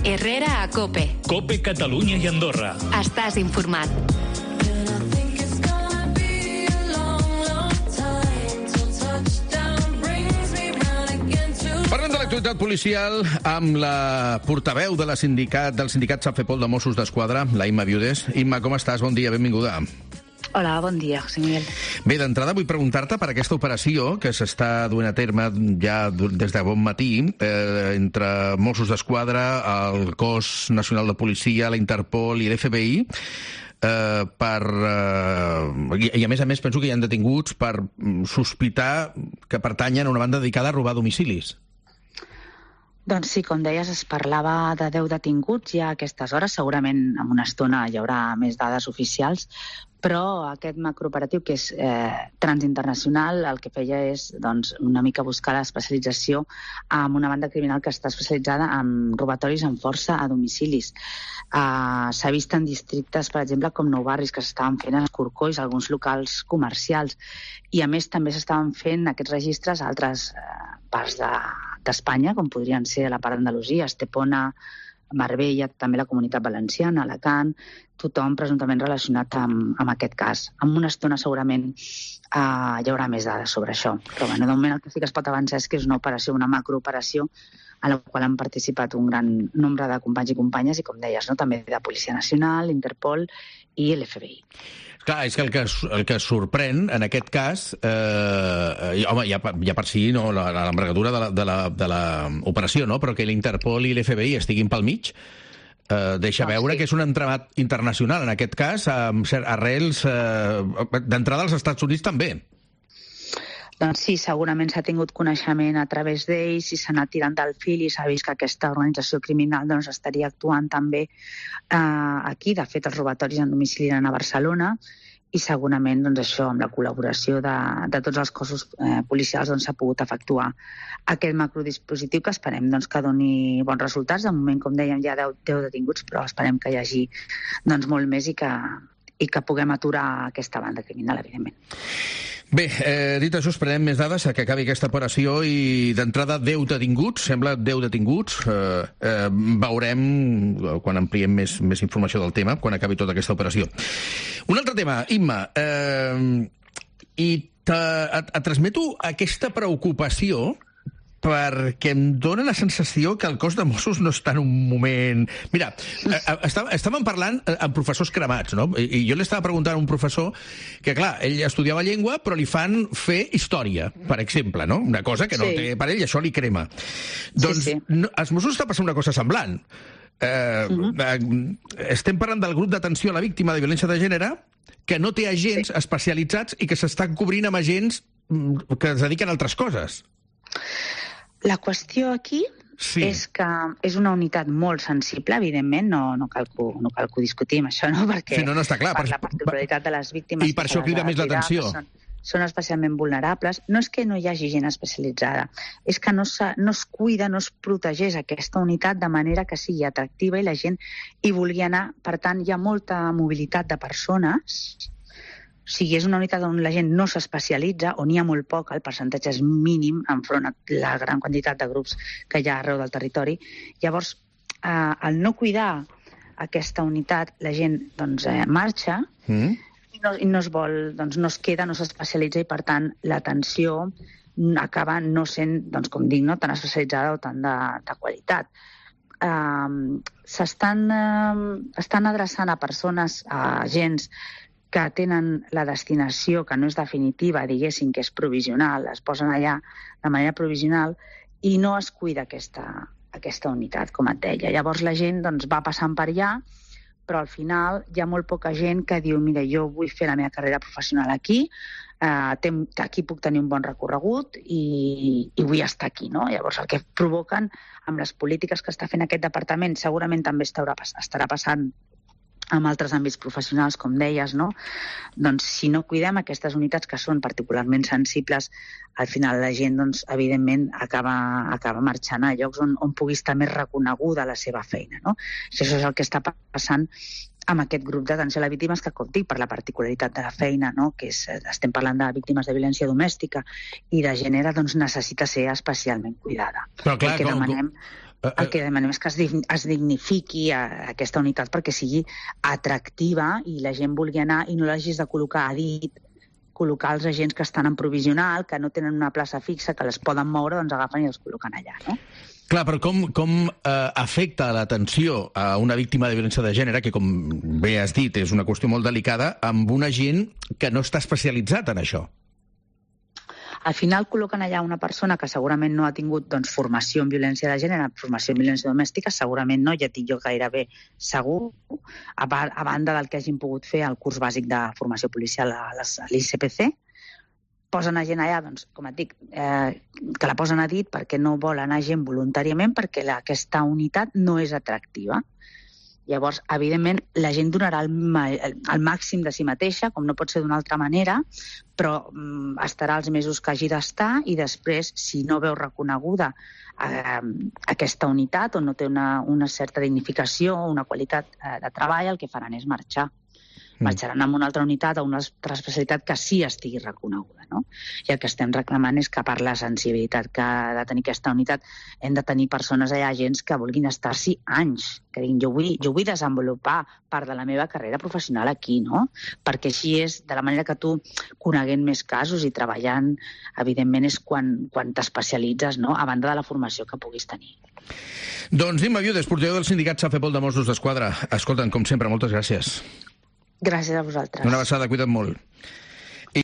Herrera a COPE. COPE Catalunya i Andorra. Estàs informat. Parlem de l'actualitat policial amb la portaveu del sindicat Safepol de Mossos d'Esquadra, la Imma Viudes. Imma, com estàs? Bon dia, benvinguda. Hola, bon dia, José Miguel. Bé, d'entrada vull preguntar-te per aquesta operació que s'està duent a terme ja des de bon matí entre Mossos d'Esquadra, el Cos Nacional de Policia, la Interpol i l'FBI, i a més penso que hi ha detinguts per sospitar que pertanyen a una banda dedicada a robar domicilis. Doncs sí, com deies, es parlava de 10 detinguts ja a aquestes hores. Segurament en una estona hi haurà més dades oficials, però aquest macrooperatiu, que és transinternacional, el que feia és una mica buscar l'especialització amb una banda criminal que està especialitzada en robatoris amb força a domicilis. S'ha vist en districtes, per exemple, com Nou Barris, que s'estaven fent a Escorcolls, alguns locals comercials, i a més també s'estaven fent aquests registres a altres parts d'Espanya, com podrien ser la part d'Andalusia, Estepona, Marbella, també la Comunitat Valenciana, Alacant, tothom presumptament relacionat amb aquest cas. En una estona segurament hi haurà més dades sobre això. Però de moment el que sí que es pot avançar és que és una operació, una macrooperació, a la qual han participat un gran nombre de companys i companyes i, com deies, també de Policia Nacional, Interpol i l'FBI. Clar, és que el que sorprèn en aquest cas, home, ja per si l'envergadura de l'operació, però que l'Interpol i l'FBI estiguin pel mig, deixa veure que és un entramat internacional, en aquest cas, amb arrels d'entrada als Estats Units també. Doncs sí, segurament s'ha tingut coneixement a través d'ells i s'ha anat tirant del fil i s'ha vist que aquesta organització criminal estaria actuant també aquí. De fet, els robatoris en domicili eren a Barcelona i segurament això, amb la col·laboració de tots els cossos policials, s'ha pogut efectuar aquest macrodispositiu que esperem que doni bons resultats. De moment, com dèiem, hi ha 10 detinguts, però esperem que hi hagi molt més i que puguem aturar aquesta banda criminal, evidentment. Bé, dit això, esperem més dades que acabi aquesta operació i d'entrada 10 detinguts, sembla 10 detinguts. Veurem, quan ampliem més informació del tema, quan acabi tota aquesta operació. Un altre tema, Imma, i et transmeto aquesta preocupació perquè em dóna la sensació que el cos de Mossos no està en un moment... Mira, estàvem parlant amb professors cremats, no? I jo li estava preguntant a un professor que, clar, ell estudiava llengua, però li fan fer història, per exemple, no? Una cosa que no té per ell, i això li crema. Doncs als Mossos està passant una cosa semblant. Estem parlant del grup d'atenció a la víctima de violència de gènere que no té agents especialitzats i que s'estan cobrint amb agents que es dediquen a altres coses. La qüestió aquí és que és una unitat molt sensible, evidentment, no cal que ho discutim, això, no? Perquè no està clar, per la particularitat de les víctimes... I per això crida més l'atenció. Són especialment vulnerables. No és que no hi hagi gent especialitzada, és que no es cuida, no es protegeix aquesta unitat de manera que sigui atractiva i la gent hi vulgui anar. Per tant, hi ha molta mobilitat de persones. O sigui, és una unitat on la gent no s'especialitza, on hi ha molt poc, el percentatge és mínim enfront a la gran quantitat de grups que hi ha arreu del territori. Llavors, al no cuidar aquesta unitat, la gent marxa i no es vol, no es queda, no s'especialitza i, per tant, l'atenció acaba no sent, com dic, tan especialitzada o tan de qualitat. Estan adreçant a persones, a agents que tenen la destinació que no és definitiva, diguéssim que és provisional, es posen allà de manera provisional i no es cuida aquesta unitat, com et deia. Llavors la gent va passant per allà, però al final hi ha molt poca gent que diu mira, jo vull fer la meva carrera professional aquí, aquí puc tenir un bon recorregut i vull estar aquí, no? Llavors el que provoquen amb les polítiques que està fent aquest departament segurament també estarà passant amb altres àmbits professionals, com deies, no? Doncs si no cuidem aquestes unitats que són particularment sensibles, al final la gent, evidentment, acaba marxant a llocs on pugui estar més reconeguda la seva feina, no? Això és el que està passant amb aquest grup d'atenció a les víctimes que, com dic, per la particularitat de la feina, no? Que estem parlant de víctimes de violència domèstica i de gènere, necessita ser especialment cuidada. Però clar, El que demanem és que es dignifiqui aquesta unitat perquè sigui atractiva i la gent vulgui anar i no l'hagis de col·locar a dit, col·locar els agents que estan en provisional, que no tenen una plaça fixa, que les poden moure, doncs agafen i els col·loquen allà, no? Clar, però com afecta l'atenció a una víctima de violència de gènere, que, com bé has dit, és una qüestió molt delicada, amb un agent que no està especialitzat en això? Al final col·loquen allà una persona que segurament no ha tingut formació en violència de gènere, formació en violència domèstica, segurament no, ja tinc jo gairebé segur, a banda del que hagin pogut fer el curs bàsic de formació policial a l'ICPC. Posen a gent allà, com et dic, que la posen a dit perquè no vol anar gent voluntàriament, perquè aquesta unitat no és atractiva. Llavors, evidentment, la gent donarà el màxim de si mateixa, com no pot ser d'una altra manera, però estarà els mesos que hagi d'estar i després, si no veu reconeguda aquesta unitat o no té una certa dignificació o una qualitat de treball, el que faran és marxar. Marxaran amb una altra unitat o una altra especialitat que sí estigui reconeguda, no? I el que estem reclamant és que per la sensibilitat que ha de tenir aquesta unitat hem de tenir persones allà, agents que vulguin estar-s'hi anys, que diguin jo vull desenvolupar part de la meva carrera professional aquí, no? Perquè així és, de la manera que tu, coneguent més casos i treballant, evidentment és quan t'especialitzes, no? A banda de la formació que puguis tenir. Doncs Imma Viudes, portaveu del sindicat Safepol de Mossos d'Esquadra. Escolta'm, com sempre, moltes gràcies. Gràcies a vosaltres. Una abraçada, cuida't molt.